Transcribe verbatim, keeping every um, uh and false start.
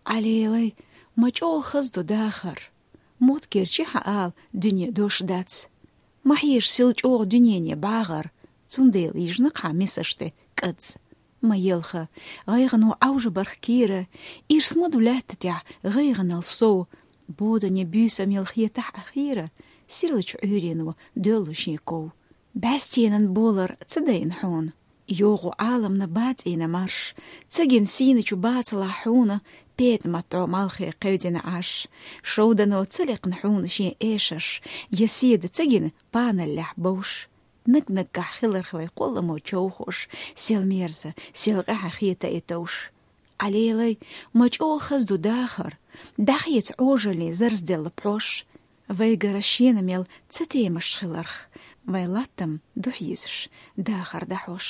Ӏалелай, ма чӀоагӀа хаза ду дахар. Моттигерча хьаала, дуне дош дац. Ма хьежа сел чӀоагӀа дуьнене бӀагӀар, цундела йижна хьа мисаш тӀе кӀац. Ма елха, гӀайгӀано Ӏовжа барх кийра, ирс ма ду лаьтта тӀа гӀайгӀанал сов. Бодане буьйсам яла хетахь Ӏа хийра, сирлача Ӏуьйрено доьллу шен ков. БӀаьстенан болар ца дайна хьона, йогӀу Ӏаламна бацӀийна марш, ца гина сийначу бацалахь хьона петӀамат дӀо малхе кхевдина Ӏаш. Шовдано ца лекхна хьона шен эшарш, я седа ца гина паналлехь бовш. Наг-наггахь хиларх вай кхолламо човхош, сел мерза, сел къаьхьа хета и товш. Ӏалелай, ма чӀоагӀа хаза ду дахар, дӀахеца Ӏожаллин зарзделла пхьош. Вайгара шена мел ца темаш хиларх, вай латтам духьа йизаш дахар дӀахьош.